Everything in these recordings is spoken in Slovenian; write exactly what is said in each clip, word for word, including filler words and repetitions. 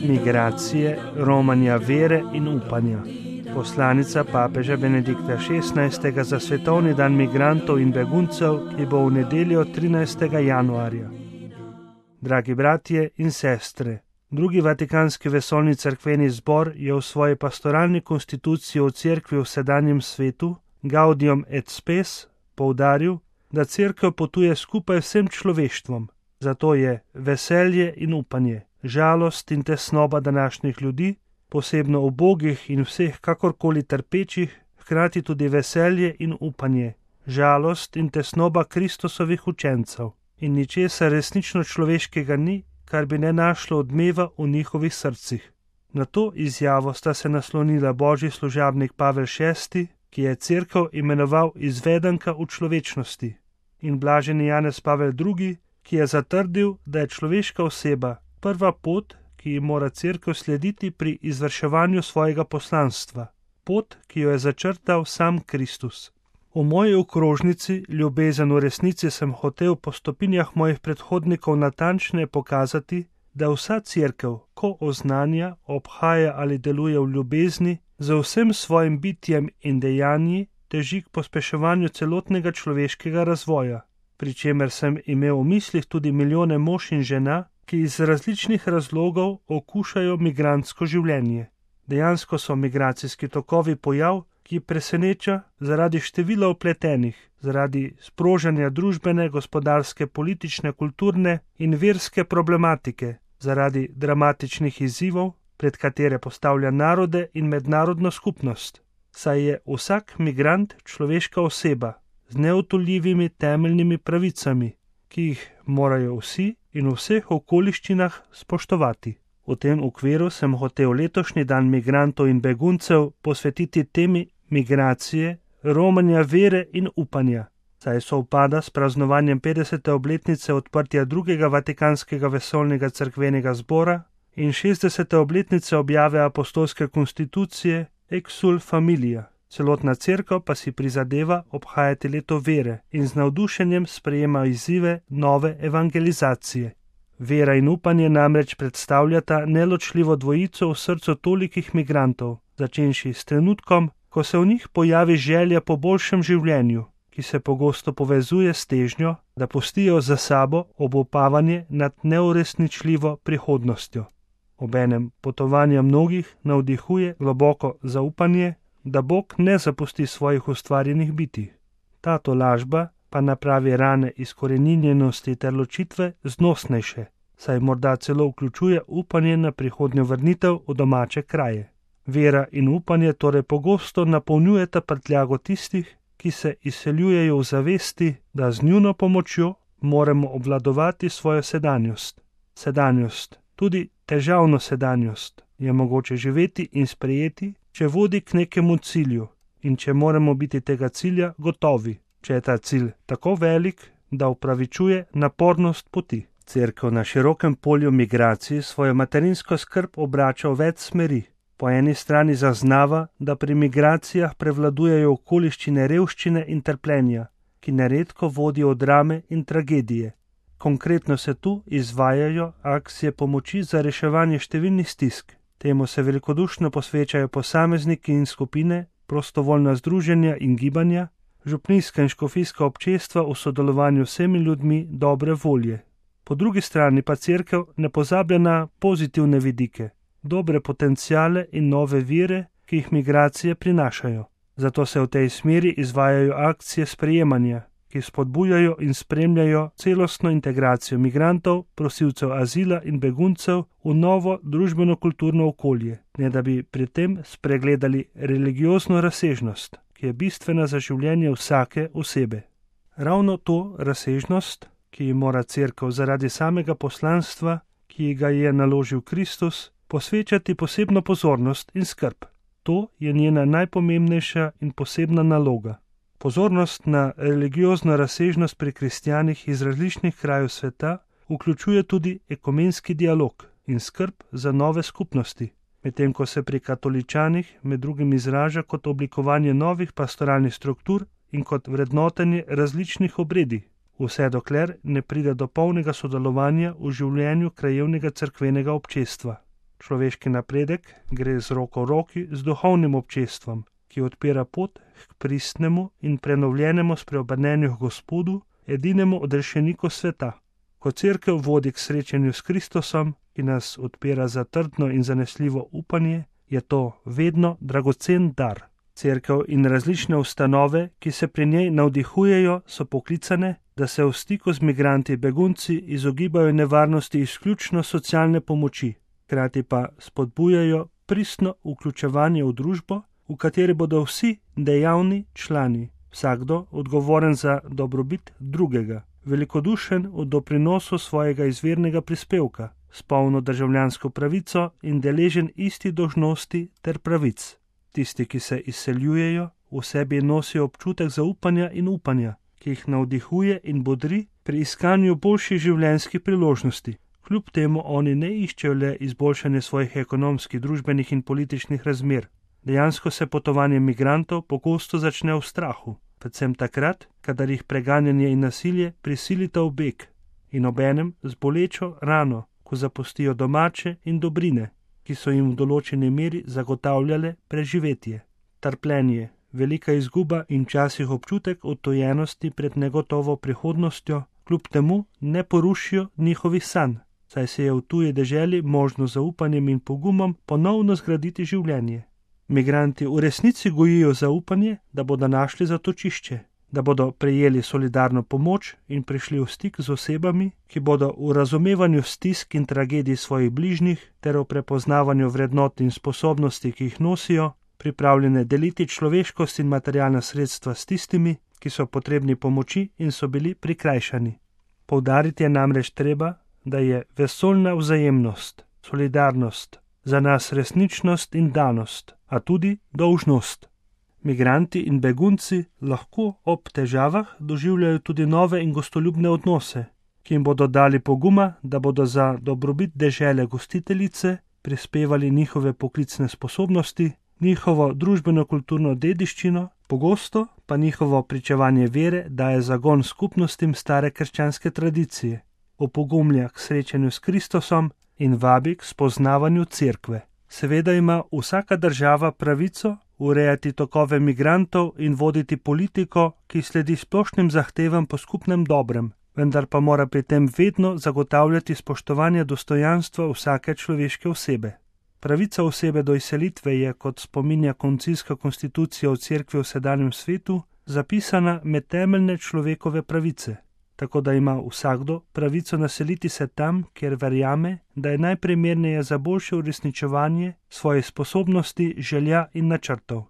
Migracije, romanja vere in upanja. Poslanica papeža Benedikta šestnajstega za svetovni dan migrantov in beguncev, ki bo v nedeljo trinajstega januarja. Dragi bratje in sestre, drugi vatikanski vesoljni cerkveni zbor je v svoji pastoralni konstituciji o cerkvi v sedanjem svetu, Gaudium et Spes, poudaril, da cerkev potuje skupaj vsem človeštvom. Zato je veselje in upanje, žalost in tesnoba današnjih ljudi, posebno ubogih in vseh kakorkoli trpečih, hkrati tudi veselje in upanje, žalost in tesnoba Kristusovih učencev. In ničesar resnično človeškega ni, kar bi ne našlo odmeva v njihovih srcih. Na to izjavo sta se naslonila božji služabnik Pavel šesti, ki je cerkev imenoval izvedenka v človečnosti, in blaženi Janez Pavel drugi, ki je zatrdil, da je človeška oseba prva pot, ki ji mora cerkev slediti pri izvrševanju svojega poslanstva, pot, ki jo je začrtal sam Kristus. V moji okrožnici Ljubezen v resnici sem hotel po stopinjah mojih predhodnikov natančneje pokazati, da vsa cerkev, ko oznanja, obhaja ali deluje v ljubezni, z vsem svojim bitjem in dejanji teži k pospeševanju celotnega človeškega razvoja, pri čemer sem imel v mislih tudi milijone mož in žena, ki iz različnih razlogov okušajo migrantsko življenje. Dejansko so migracijski tokovi pojav, ki preseneča zaradi števila vpletenih, zaradi sprožanja družbene, gospodarske, politične, kulturne in verske problematike, zaradi dramatičnih izzivov, pred katere postavlja narode in mednarodno skupnost. Saj je vsak migrant človeška oseba z neodtuljivimi temeljnimi pravicami, ki jih morajo vsi in v vseh okoliščinah spoštovati. V tem okviru sem hotel letošnji dan migrantov in beguncev posvetiti temi migracije, romanja vere in upanja, saj sovpada s praznovanjem petdesete obletnice odprtja drugega vatikanskega vesoljnega cerkvenega zbora in šestdesete obletnice objave apostolske konstitucije Exsul Familia. Celotna cerkev pa si prizadeva obhajati leto vere in z navdušenjem sprejema izzive nove evangelizacije. Vera in upanje namreč predstavljata neločljivo dvojico v srcu tolikih migrantov, začenši s trenutkom, ko se v njih pojavi želja po boljšem življenju, ki se pogosto povezuje s težnjo, da pustijo za sabo obupavanje nad neuresničljivo prihodnostjo. Obenem potovanja mnogih navdihuje globoko zaupanje, da Bog ne zapusti svojih ustvarjenih bitij. Ta tolažba pa napravi rane izkoreninjenosti ter ločitve znosnejše, saj morda celo vključuje upanje na prihodnjo vrnitev v domače kraje. Vera in upanje torej pogosto napolnjujeta prtljago tistih, ki se izseljujejo v zavesti, da z njuno pomočjo moramo obvladovati svojo sedanjost. Sedanjost, tudi težavno sedanjost, je mogoče živeti in sprejeti, če vodi k nekemu cilju in če moramo biti tega cilja gotovi, če je ta cilj tako velik, da upravičuje napornost poti. Cerkev na širokem polju migracij svojo materinsko skrb obrača v več smeri. Po eni strani zaznava, da pri migracijah prevladujejo okoliščine revščine in trpljenja, ki neredko vodijo v drame in tragedije. Konkretno se tu izvajajo akcije pomoči za reševanje številnih stisk. Temu se velikodušno posvečajo posamezniki in skupine, prostovoljna združenja in gibanja, župnijska in škofijska občestva v sodelovanju z vsemi ljudmi dobre volje. Po drugi strani pa cerkev ne pozablja na pozitivne vidike, dobre potenciale in nove vire, ki jih migracije prinašajo. Zato se v tej smeri izvajajo akcije sprejemanja, ki spodbujajo in spremljajo celostno integracijo migrantov, prosilcev azila in beguncev v novo družbeno-kulturno okolje, ne da bi pri tem spregledali religiozno razsežnost, ki je bistvena za življenje vsake osebe. Ravno to razsežnost, ki ji mora cerkev zaradi samega poslanstva, ki ga je naložil Kristus, posvečati posebno pozornost in skrb. To je njena najpomembnejša in posebna naloga. Pozornost na religiozno razsežnost pri kristjanih iz različnih krajev sveta vključuje tudi ekumenski dialog in skrb za nove skupnosti, medtem ko se pri katoličanih med drugim izraža kot oblikovanje novih pastoralnih struktur in kot vrednotenje različnih obredi. vse dokler ne pride do polnega sodelovanja v življenju krajevnega cerkvenega občestva. Človeški napredek gre z roko v roki z duhovnim občestvom, ki odpira pot k pristnemu in prenovljenemu spreobrnenju k Gospodu, edinemu odrešeniku sveta. Ko cerkev vodi k srečanju s Kristusom, ki nas odpira za trdno in zanesljivo upanje, je to vedno dragocen dar. Cerkev in različne ustanove, ki se pri njej navdihujejo, so poklicane, da se v stiku z migranti begunci izogibajo nevarnosti izključno socialne pomoči, hkrati pa spodbujajo pristno vključevanje v družbo, v kateri bodo vsi dejavni člani, vsakdo odgovoren za dobrobit drugega, velikodušen v doprinosu svojega izvirnega prispevka, s polno državljansko pravico in deležen isti dolžnosti ter pravic. Tisti, ki se izseljujejo, v sebi nosijo občutek zaupanja in upanja, ki jih navdihuje in bodri pri iskanju boljših življenjskih priložnosti. Kljub temu oni ne iščejo le izboljšanje svojih ekonomskih, družbenih in političnih razmer. Dejansko se potovanje migrantov pogosto začne v strahu, predvsem takrat, kadar jih preganjanje in nasilje prisilita v beg in obenem z bolečo rano, ko zapustijo domače in dobrine, ki so jim v določeni meri zagotavljale preživetje. Trpljenje, velika izguba in včasih občutek odtujenosti pred negotovo prihodnostjo, kljub temu ne porušijo njihovih sanj, saj se je v tuji deželi možno zaupanjem in pogumom ponovno zgraditi življenje. Migranti v resnici gojijo zaupanje, da bodo našli zatočišče, da bodo prejeli solidarno pomoč in prišli v stik z osebami, ki bodo v razumevanju stisk in tragedij svojih bližnjih ter v prepoznavanju vrednot in sposobnosti, ki jih nosijo, pripravljene deliti človeškost in materialna sredstva s tistimi, ki so potrebni pomoči in so bili prikrajšani. Poudariti je namreč treba, da je vesoljna vzajemnost, solidarnost, za nas resničnost in danost, a tudi dolžnost. Migranti in begunci lahko ob težavah doživljajo tudi nove in gostoljubne odnose, ki jim bodo dali poguma, da bodo za dobrobit dežele gostiteljice prispevali njihove poklicne sposobnosti, njihovo družbeno-kulturno dediščino, pogosto pa njihovo pričevanje vere daje zagon skupnostim stare krščanske tradicije, opogumlja k srečanju s Kristusom in vabi k spoznavanju cerkve. Seveda ima vsaka država pravico urejati tokove migrantov in voditi politiko, ki sledi splošnim zahtevam po skupnem dobrem, vendar pa mora pri tem vedno zagotavljati spoštovanje dostojanstva vsake človeške osebe. Pravica osebe do izselitve je, kot spominja koncilska konstitucija v cerkvi v sedanjem svetu, zapisana med temeljne človekove pravice, tako da ima vsakdo pravico naseliti se tam, kjer verjame, da je najprimerneje za boljše uresničevanje svojih sposobnosti, želja in načrtov.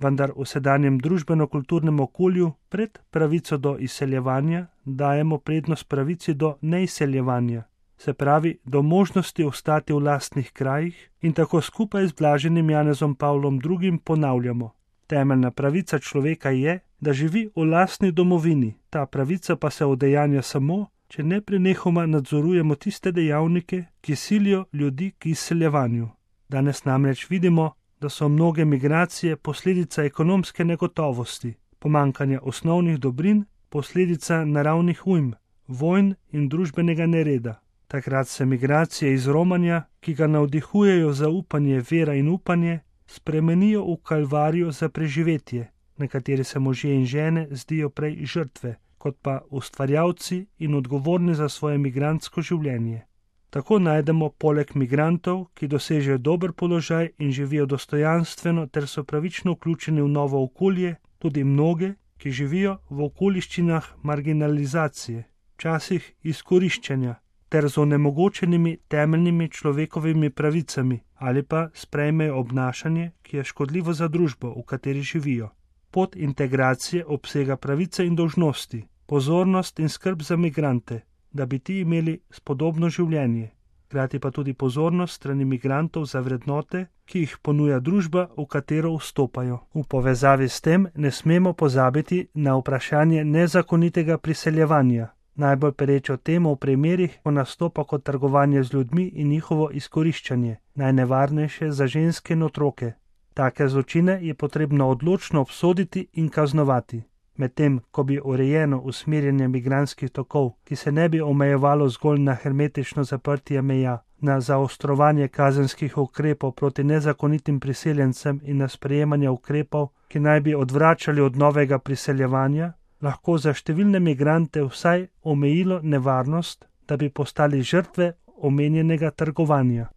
Vendar v sedanjem družbeno-kulturnem okolju pred pravico do izseljevanja dajemo prednost pravici do neizseljevanja, se pravi do možnosti ostati v lastnih krajih in tako skupaj z blaženim Janezom Pavlom drugim ponavljamo. Temeljna pravica človeka je, da živi v lastni domovini, ta pravica pa se udejanja samo, če neprenehoma nadzorujemo tiste dejavnike, ki silijo ljudi k izseljevanju. Danes namreč vidimo, da so mnoge migracije posledica ekonomske negotovosti, pomanjkanja osnovnih dobrin, posledica naravnih ujm, vojn in družbenega nereda. Takrat se migracije iz romanja, ki ga navdihujejo zaupanje, vera in upanje, spremenijo v kalvarijo za preživetje, na kateri se možje in žene zdijo prej žrtve, kot pa ustvarjalci in odgovorni za svoje migrantsko življenje. Tako najdemo poleg migrantov, ki dosežejo dober položaj in živijo dostojanstveno ter so pravično vključeni v novo okolje, tudi mnoge, ki živijo v okoliščinah marginalizacije, včasih izkoriščanja, ter z onemogočenimi temeljnimi človekovimi pravicami ali pa sprejmejo obnašanje, ki je škodljivo za družbo, v kateri živijo. Pot integracije obsega pravice in dolžnosti, pozornost in skrb za migrante, da bi ti imeli spodobno življenje, hkrati pa tudi pozornost strani migrantov za vrednote, ki jih ponuja družba, v katero vstopajo. V povezavi s tem ne smemo pozabiti na vprašanje nezakonitega priseljevanja, najbolj perečo temo v primerih, ko nastopa kot trgovanje z ljudmi in njihovo izkoriščanje, najnevarnejše za ženske in otroke. Take zločine je potrebno odločno obsoditi in kaznovati. medtem ko bi urejeno usmerjanje migrantskih tokov, ki se ne bi omejevalo zgolj na hermetično zaprtje meja, na zaostrovanje kazenskih ukrepov proti nezakonitim priseljencem in na sprejemanje ukrepov, ki naj bi odvračali od novega priseljevanja, lahko za številne migrante vsaj omejilo nevarnost, da bi postali žrtve omenjenega trgovanja.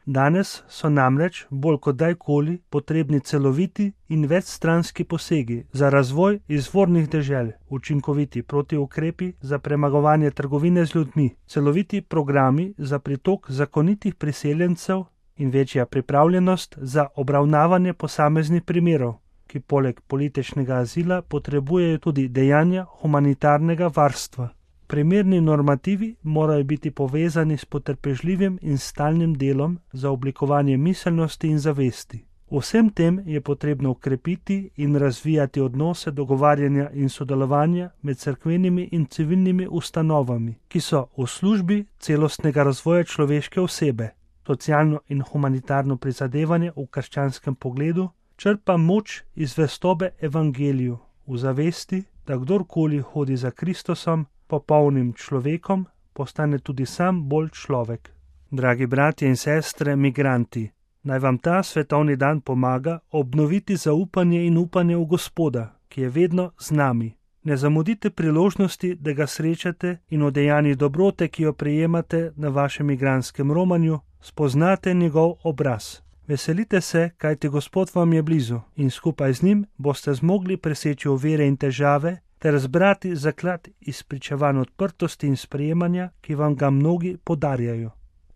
Danes so namreč bolj kot dajkoli potrebni celoviti in večstranski posegi za razvoj izvornih dežel, učinkoviti protiukrepi za premagovanje trgovine z ljudmi, celoviti programi za pritok zakonitih priseljencev in večja pripravljenost za obravnavanje posameznih primerov, ki poleg političnega azila potrebujejo tudi dejanja humanitarnega varstva. Primerni normativi morajo biti povezani s potrpežljivim in stalnim delom za oblikovanje miselnosti in zavesti. Vsem tem je potrebno ukrepiti in razvijati odnose dogovarjanja in sodelovanja med cerkvenimi in civilnimi ustanovami, ki so v službi celostnega razvoja človeške osebe. Socialno in humanitarno prizadevanje v krščanskem pogledu črpa moč iz zvestobe evangeliju, v zavesti, da kdorkoli hodi za Kristusom, popolnim človekom, postane tudi sam bolj človek. Dragi bratje in sestre, migranti, naj vam ta svetovni dan pomaga obnoviti zaupanje in upanje v Gospoda, ki je vedno z nami. Ne zamudite priložnosti, da ga srečate in o dejanjih dobrote, ki jo prejemate na vašem migrantskem romanju, spoznate njegov obraz. Veselite se, kajti Gospod vam je blizu in skupaj z njim boste zmogli preseči ovire in težave ter zbrati zaklad izpričevanj odprtosti in sprejemanja, ki vam ga mnogi podarjajo.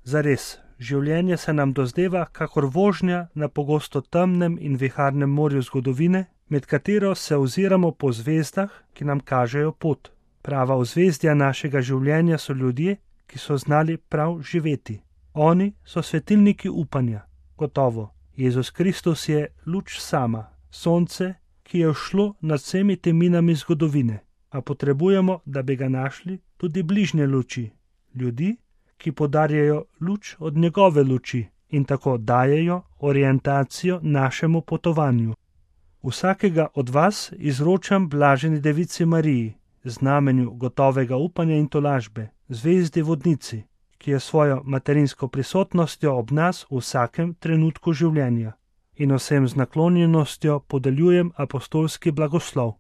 Zares, življenje se nam dozdeva kakor vožnja na pogosto temnem in viharnem morju zgodovine, med katero se oziramo po zvezdah, ki nam kažejo pot. Prava ozvezdja našega življenja so ljudje, ki so znali prav živeti. Oni so svetilniki upanja. Gotovo, Jezus Kristus je luč sama, sonce, ki je šlo nad vsemi teminami zgodovine, a potrebujemo, da bi ga našli, tudi bližnje luči, ljudi, ki podarjajo luč od njegove luči in tako dajejo orientacijo našemu potovanju. Vsakega od vas izročam blaženi devici Mariji, znamenju gotovega upanja in tolažbe, zvezdi vodnici, ki je svojo materinsko prisotnostjo ob nas v vsakem trenutku življenja. In vsem z naklonjenostjo podeljujem apostolski blagoslov.